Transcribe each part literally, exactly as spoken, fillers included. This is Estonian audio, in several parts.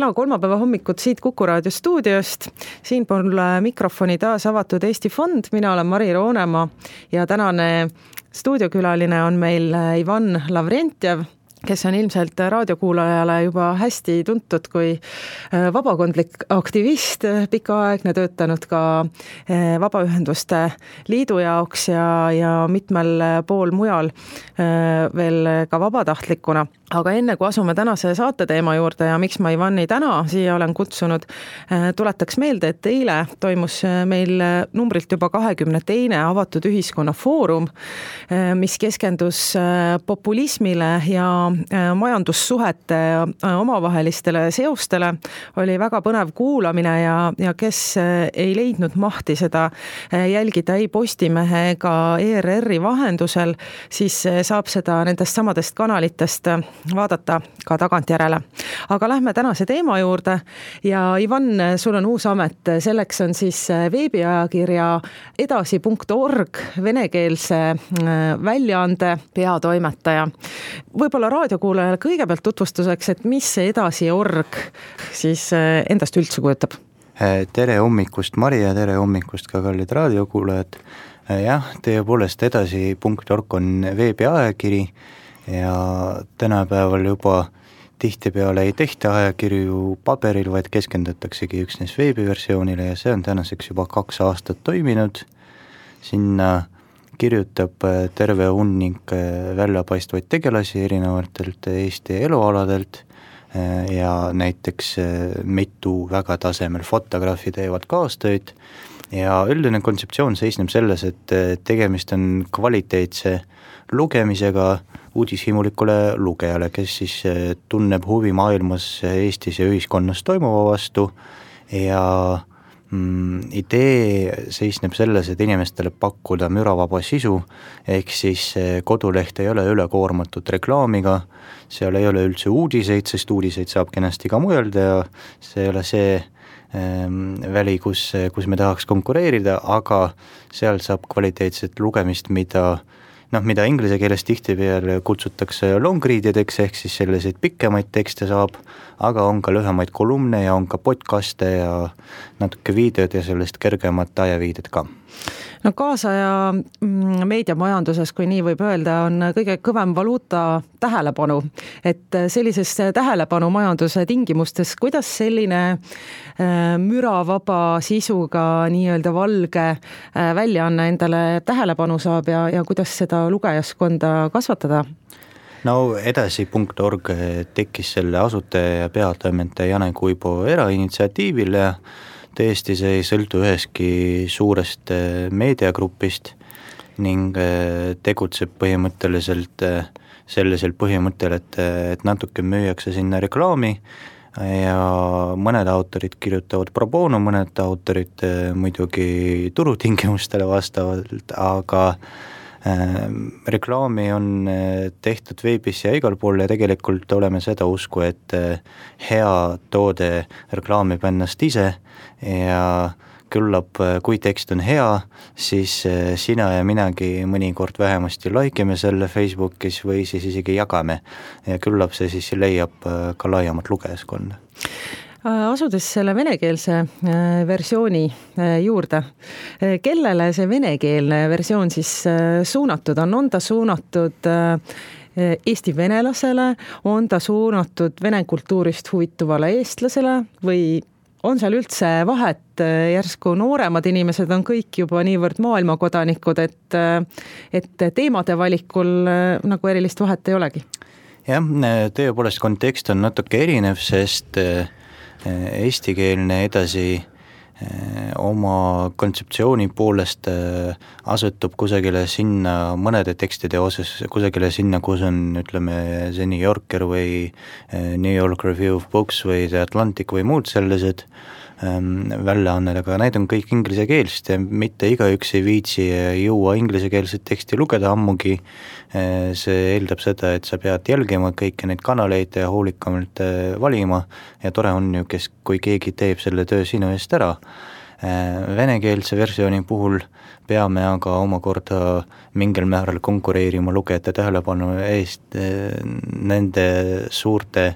kena kolmapäeva hommikut siit Kuku Raadio stuudiost. Siin pool mikrofoni taas avatud Eesti Fond. Mina olen Mari Roonemaa ja tänane stuudiokülaline on meil Ivan Lavrentjev, kes on ilmselt raadiokuulajale juba hästi tuntud kui vabakondlik aktivist, pikaaegne töötanud ka Vabaühenduste Liidu jaoks ja, ja mitmel pool mujal veel ka vabatahtlikuna. Aga enne kui asume tänase saate teema juurde ja miks ma Ivani täna siia olen kutsunud, tuletaks meelde, et eile toimus meil numbrilt juba kahekümne teine avatud ühiskonna foorum, mis keskendus populismile ja majandussuhete omavahelistele seostele. Oli väga põnev kuulamine ja, ja kes ei leidnud mahti seda jälgida ei Postimehe ega E R R-i vahendusel, siis saab seda nendest samadest kanalitest vaadata ka tagantjärele. Aga lähme tänase teema juurde ja Ivan, sul on uus amet, selleks on siis veebiajakirja edasi punkt org venekeelse väljaande peatoimetaja. Võib-olla raadiokuulajale kõigepealt tutvustuseks, et mis see edasi org siis endast üldse kujutab? Tere hommikust Mari ja tere hommikust ka kallid raadiokuulajad. Jah, tõepoolest edasi punkt org on veebiajakiri ja tänapäeval juba tihtipeale ei tehta ajakirju paberil, vaid keskendutaksegi üksnes veebiversioonile ja see on tänaseks juba kaks aastat toiminud. Sinna kirjutab terve hunnik väljapaistvaid tegelasi erinevatelt Eesti elualadelt ja näiteks mitu väga tasemel fotograafi teevad kaastööd ja üldine kontseptsioon seisneb selles, et tegemist on kvaliteetse lugemisega uudishimulikule lugejale, kes siis tunneb huvi maailmas Eestis ja ühiskonnas toimuva vastu ja mm, idee seisneb selles, et inimestele pakkuda müravaba sisu, ehk siis koduleht ei ole ülekoormatud reklaamiga, seal ei ole üldse uudiseid, sest uudiseid saab kenasti ka mujelda ja see ei ole see ähm, väli, kus, kus me tahaks konkureerida, aga seal saab kvaliteetset lugemist, mida noh, mida inglise keeles tihtipeale kutsutakse long readideks, ehk siis selliseid pikemaid tekste saab, aga on ka lühemaid kolumne ja on ka podcaste ja natuke videod ja sellest kergemat ajaviided ka. No kaasaja meediamajanduses, kui nii võib öelda, on kõige kõvem valuuta tähelepanu. Et sellises tähelepanu majanduse tingimustes, kuidas selline müravaba sisuga nii-öelda valge väljaanne endale tähelepanu saab ja, ja kuidas seda lugejaskonda kasvatada? No edasi punkt org tekkis selle asutaja ja peatoimetaja Jane Kuibo erainitsiatiivil ja tõesti see ei sõltu üheski suurest meediagrupist ning tegutseb põhimõtteliselt sellisel põhimõttel, et, et natuke müüakse sinna reklaami ja mõned autorid kirjutavad pro bono, mõned autorid muidugi turutingimustele vastavalt, aga reklaami on tehtud veebis ja igal pool ja tegelikult oleme seda usku, et hea toode reklaamib ennast ise ja küllap, kui tekst on hea, siis sina ja minagi mõnikord vähemasti laikime selle Facebookis või siis isegi jagame ja küllap see siis leiab ka laiemat lugejaskonda. Asudes selle venekeelse versiooni juurde, kellele see venekeelne versioon siis suunatud on? On ta suunatud Eesti venelasele, on ta suunatud vene kultuurist huvituvale eestlasele või on seal üldse vahet, järsku nooremad inimesed on kõik juba niivõrd maailmakodanikud, et, et teemade valikul nagu erilist vahet ei olegi? Jah, tõepoolest kontekst on natuke erinev, sest eestikeelne edasi oma kontseptsiooni poolest asutub kusagile sinna mõnede tekstide osas, kusagile sinna, kus on, ütleme, see New Yorker või New York Review of Books või The Atlantic või muud sellised väljaanned, aga need on kõik inglise keelst ja mitte igaüks ei viitsi jõua inglisekeelset teksti lugeda ammugi. See eeldab seda, et sa pead jälgima kõiki neid kanaleid ja hoolikamalt valima ja tore on ju, kes, kui keegi teeb selle töö sinu eest ära. Venekeelse versiooni puhul peame aga omakorda mingil määral konkureerima lugejate tähelepanu eest nende suurte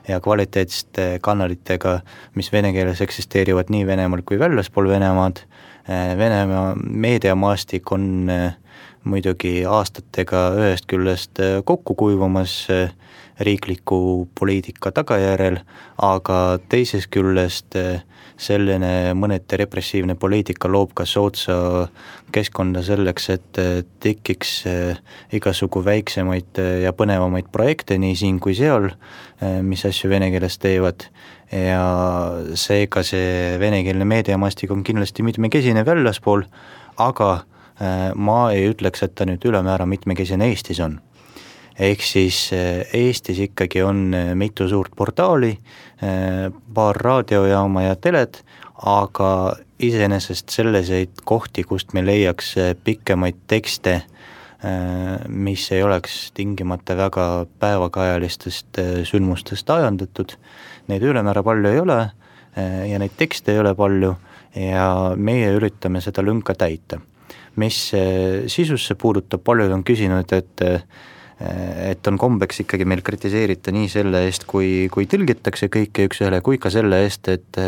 ja kvaliteetsete kanalitega, mis vene keeles eksisteerivad nii Venemaal kui väljaspool Venemaad. Venemaa meediamaastik on muidugi aastatega ühest küljest kokku kuivamas riikliku poliitika tagajärjel, aga teisest küljest selline mõneti repressiivne poliitika loob ka soodsa keskkonda selleks, et tekiks igasugu väiksemaid ja põnevamaid projekte nii siin kui seal, mis asju vene keeles teevad, ja seega see venekeelne meediamastik on kindlasti mitmekesine väljaspool, aga ma ei ütleks, et ta nüüd ülemäära mitmekesine Eestis on. Ehk siis Eestis ikkagi on mitu suurt portaali, paar raadiojaama ja teled, aga iseenesest selliseid kohti, kust me leiaks pikemaid tekste, mis ei oleks tingimata väga päevakajalistest sündmustest ajandatud. Neid ülemäära palju ei ole ja neid tekste ei ole palju ja meie üritame seda lünka täita. Mis sisusse puudutab, paljud on küsinud, et et on kombeks ikkagi meil kritiseerita nii selle eest, kui, kui tõlgitakse kõike üks ühele, kui ka selle eest, et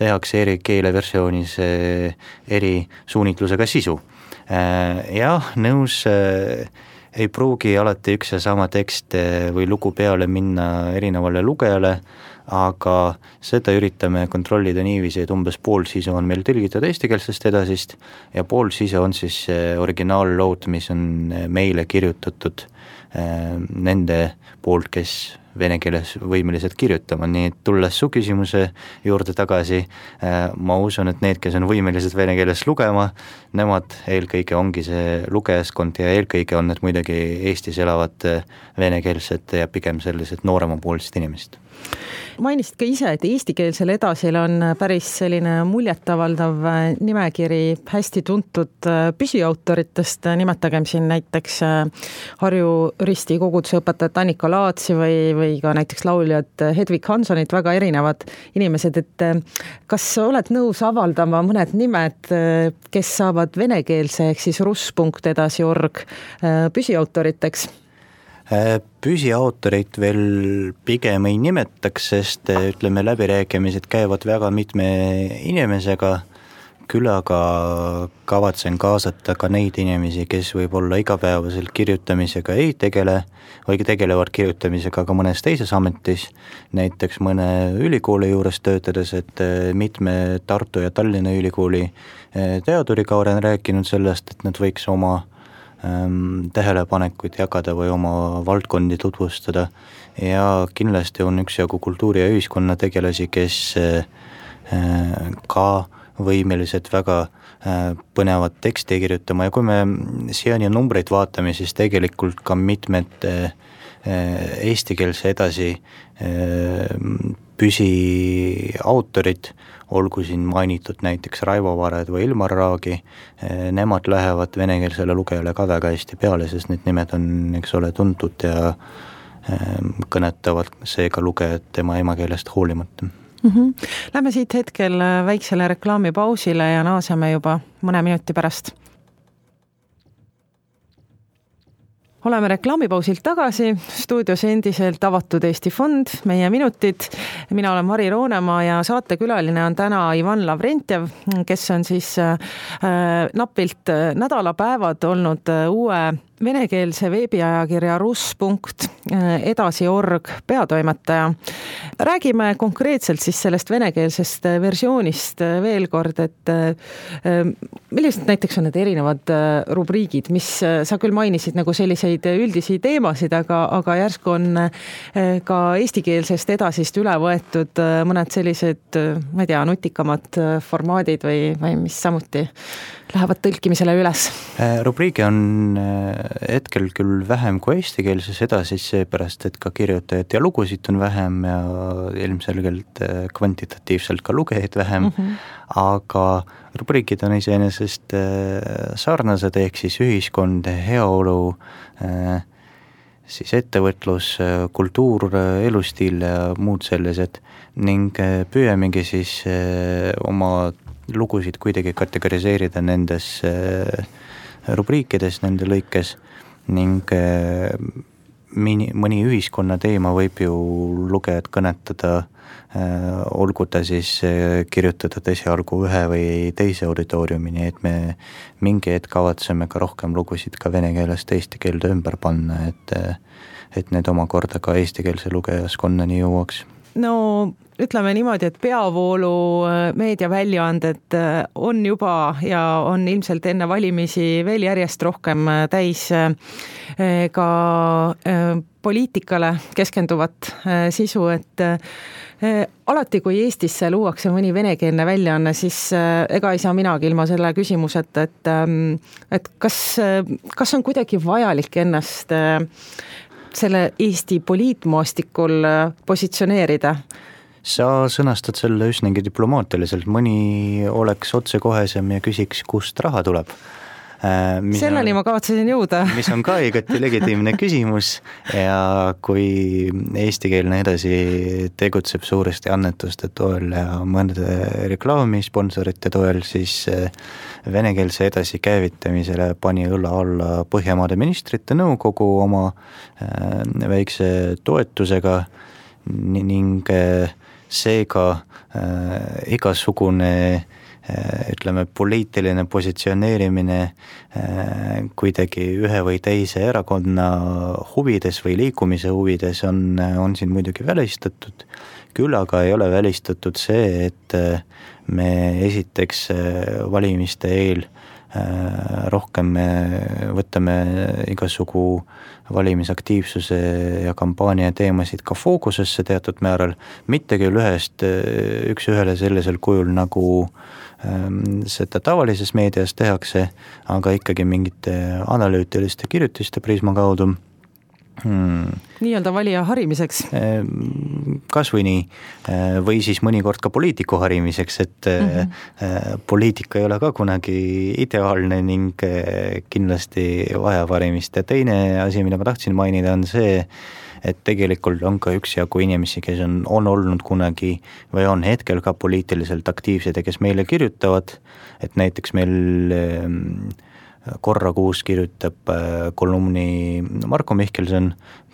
tehakse eri keeleversioonis eri suunitlusega sisu. Jah, nõus, ei pruugi alati üks ja sama tekst või lugu peale minna erinevale lugejale, aga seda üritame kontrollida niiviisi, et umbes pool sisu on meil tõlgitud eestikeelsest edasist ja pool sisu on siis originaallood, mis on meile kirjutatud nende poolt, kes vene keeles võimelised kirjutama, nii et tulles su küsimuse juurde tagasi, ma usun, et need, kes on võimelised vene keeles lugema, nemad eelkõige ongi see lugejaskond ja eelkõige on need muidugi Eestis elavad venekeelsed ja pigem sellised nooremapoolsed inimesed. Mainisid ka ise, et eestikeelsel edasil on päris selline muljetavaldav nimekiri hästi tuntud püsiautoritest, nimetagem siin näiteks Harju Risti koguduse õpetajat Annika Laatsi või, või ka näiteks lauljad Hedvig Hansonit, väga erinevad inimesed, et kas oled nõus avaldama mõned nimed, kes saavad venekeelse ehk siis russ punkt edasi org püsiautoriteks? Püsiautorit veel pigem ei nimetaks, sest ütleme, läbirääkimised käivad väga mitme inimesega, küll aga kavatsen kaasata ka neid inimesi, kes võib-olla igapäevaselt kirjutamisega ei tegele või tegelevad kirjutamisega ka mõnes teises ametis, näiteks mõne ülikooli juures töötades, et mitme Tartu ja Tallinna ülikooli teaduriga olen rääkinud sellest, et nad võiks oma tähelepanekuid jagada või oma valdkondi tutvustada ja kindlasti on üksjagu kultuuri ja ühiskonna tegelasi, kes ka võimelised väga põnevat teksti kirjutama ja kui me siiani numbreid vaatame, siis tegelikult ka mitmed eestikeelse edasi püsiautorid, olgu siin mainitud näiteks Raivo Vared või Ilmar Raagi, nemad lähevad venekeelsele lugejale ka väga hästi peale, sest need nimed on, eks ole, tuntud ja kõnetavad seega lugejad tema emakeelest hoolimata. Mm-hmm. Lähme siit hetkel väiksele reklaamipausile ja naaseme juba mõne minuti pärast. Oleme reklaamipausilt tagasi, stuudios endiselt avatud Eesti Fond, meie minutid. Mina olen Mari Roonemaa ja saatekülaline on täna Ivan Lavrentjev, kes on siis äh, napilt nädalapäevad olnud uue venekeelse veebiajakirja russ punkt edasi org peatoimetaja. Räägime konkreetselt siis sellest venekeelsest versioonist veel kord, et millised näiteks on need erinevad rubriigid, mis sa küll mainisid nagu selliseid üldisi teemasid, aga, aga järsku on ka eestikeelsest edasist üle võetud mõned sellised, ma ei tea, nutikamad formaadid või, või mis samuti lähevad tõlkimisele üles? Rubriigi on hetkel küll vähem kui eestikeelses edasis, seepärast, et ka kirjutajad ja lugusid on vähem ja ilmselgelt kvantitatiivselt ka lugejaid vähem, mm-hmm. aga rubriigid on iseenesest sarnased, ehk siis ühiskond, heaolu, siis ettevõtlus, kultuur, elustiil ja muud sellised ning püüamegi siis oma lugusid kuidagi kategoriseerida nendes rubriikides, nende lõikes ning mini, mõni ühiskonna teema võib ju lugejad kõnetada, olgu ta siis kirjutatud esialgu ühe või teise auditooriumini, et me mingi hetk kavatseme ka rohkem lugusid ka vene keelest eesti keelde ümber panna, et, et need omakorda ka eestikeelse lugejaskonnani jõuaks. No ütleme niimoodi, et peavoolu meediaväljaanded on juba ja on ilmselt enne valimisi veel järjest rohkem täis ka poliitikale keskenduvat sisu, et alati, kui Eestisse luuakse mõni venekeelne väljaanne, siis ega ei saa minagi ilma selle küsimuseta, et, et kas, kas on kuidagi vajalik ennast selle Eesti poliitmaastikul positsioneerida? Sa sõnastad selle üsnagi diplomaatiliselt, mõni oleks otsekohesem ja küsiks, kust raha tuleb. Selleni on, ma kavatsesin jõuda. Mis on ka igati legitiimne küsimus ja kui eestikeelne edasi tegutseb suuresti annetuste toel ja mõnede reklaami sponsorite toel, siis venekeelse edasi käivitamisele pani õlla alla Põhjamaade ministrite nõukogu oma väikse toetusega ning seega igasugune ütleme, poliitiline positsioneerimine kuidagi ühe või teise erakonna huvides või liikumise huvides on, on siin muidugi välistatud. Küll aga ei ole välistatud see, et me esiteks valimiste eel rohkem võtame igasugu valimisaktiivsuse ja kampaania teemasid ka fookusesse teatud määral, mitte küll ühest üks ühele sellisel kujul, nagu seda tavalises meedias tehakse, aga ikkagi mingite analüütiliste kirjutiste prisma kaudu. Hmm. Nii-öelda valija harimiseks? Kas või nii, või siis mõnikord ka poliitiku harimiseks, et mm-hmm. poliitika ei ole ka kunagi ideaalne ning kindlasti vajab harimist. Ja teine asi, mida ma tahtsin mainida, on see, et tegelikult on ka üksjagu inimesi, kes on, on olnud kunagi või on hetkel ka poliitiliselt aktiivsed ja kes meile kirjutavad, et näiteks meil korra kuus kirjutab kolumni Marko Mihkelson,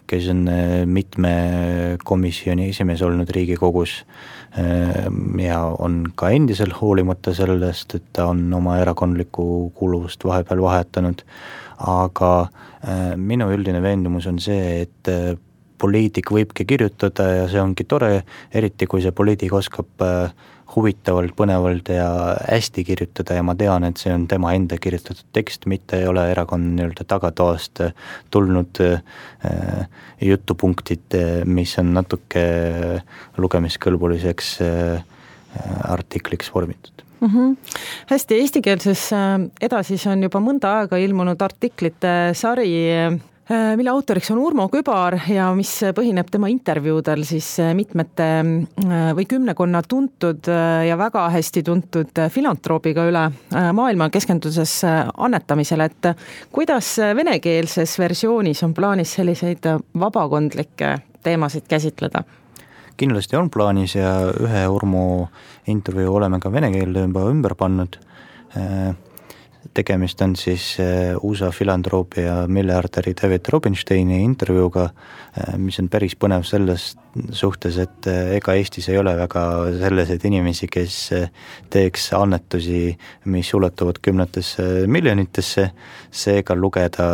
kes on mitme komisjoni esimees olnud Riigikogus ja on ka endisel hoolimata sellest, et ta on oma erakondlikku kuuluvust vahepeal vahetanud. Aga minu üldine veendumus on see, et poliitik võibki kirjutada ja see ongi tore, eriti kui see poliitik oskab huvitavalt, põnevalt ja hästi kirjutada ja ma tean, et see on tema enda kirjutatud tekst, mitte ei ole erakonna nii-öelda tagatoast tulnud äh, jutupunktid, mis on natuke lugemiskõlbuliseks äh, artikliks vormitud. Mm-hmm. Hästi, eestikeelses edasis on juba mõnda aega ilmunud artiklite sari, mille autoriks on Urmo Kübar ja mis põhineb tema intervjuudel siis mitmete või kümnekonna tuntud ja väga hästi tuntud filantroobiga üle maailma keskenduses annetamisele, et kuidas venekeelses versioonis on plaanis selliseid vabakondlikke teemasid käsitleda? Kindlasti on plaanis ja ühe Urmo intervjuu oleme ka vene keelde juba ümber pannud. Tegemist on siis U S A filantroopi ja miljardäri David Robinsteini intervjuuga, mis on päris põnev selles suhtes, et ega Eestis ei ole väga selliseid inimesi, kes teeks annetusi, mis ulatuvad kümnetesse miljonitesse, seega lugeda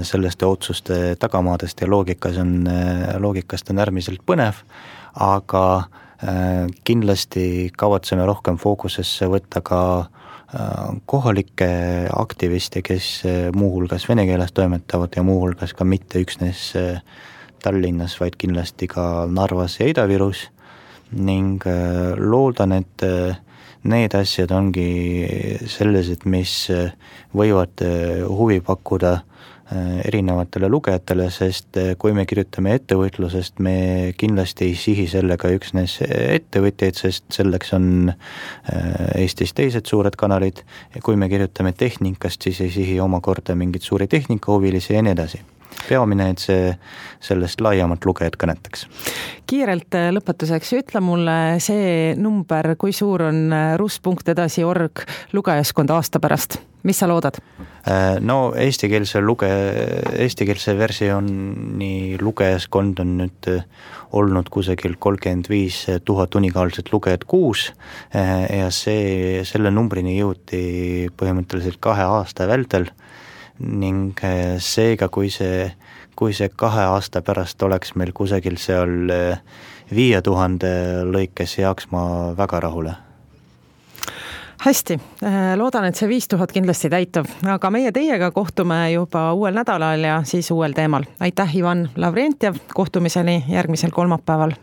sellest otsuste tagamaadest ja loogikas on, loogikast on äärmiselt põnev, aga kindlasti kavatseme rohkem fookusesse võtta ka kohalikke aktiviste, kes muuhulgas vene keeles toimetavad ja muuhulgas ka mitte üksnes Tallinnas, vaid kindlasti ka Narvas ja Ida-Virus ning loodan, et need asjad ongi sellised, mis võivad huvi pakkuda erinevatele lugejatele, sest kui me kirjutame ettevõtlusest, me kindlasti ei sihi sellega üksnes ettevõtjaid, sest selleks on Eestis teised suured kanalid ja kui me kirjutame tehnikast, siis ei sihi omakorda mingid suuri tehnikahuvilisi ja nii edasi. peamine, et see sellest laiemalt lugejad kõnetaks. Kiirelt lõpetuseks, ütle mulle see number, kui suur on rus punkt edasi org lugejaskond aasta pärast, mis sa loodad? No eestikeelse luge, eestikeelse versiooni lugejaskond on nüüd olnud kusagil kolmkümmend viis tuhat unikaalset lugejat kuus ja see, selle numbrini jõuti põhimõtteliselt kahe aasta vältel ning seega, kui see, kui see kahe aasta pärast oleks meil kusagil seal viie tuhande lõikes, jääks ma väga rahule. Hästi, loodan, et see viis tuhat kindlasti täitub, aga meie teiega kohtume juba uuel nädalal ja siis uuel teemal. Aitäh, Ivan Lavrentjev, kohtumiseni järgmisel kolmapäeval.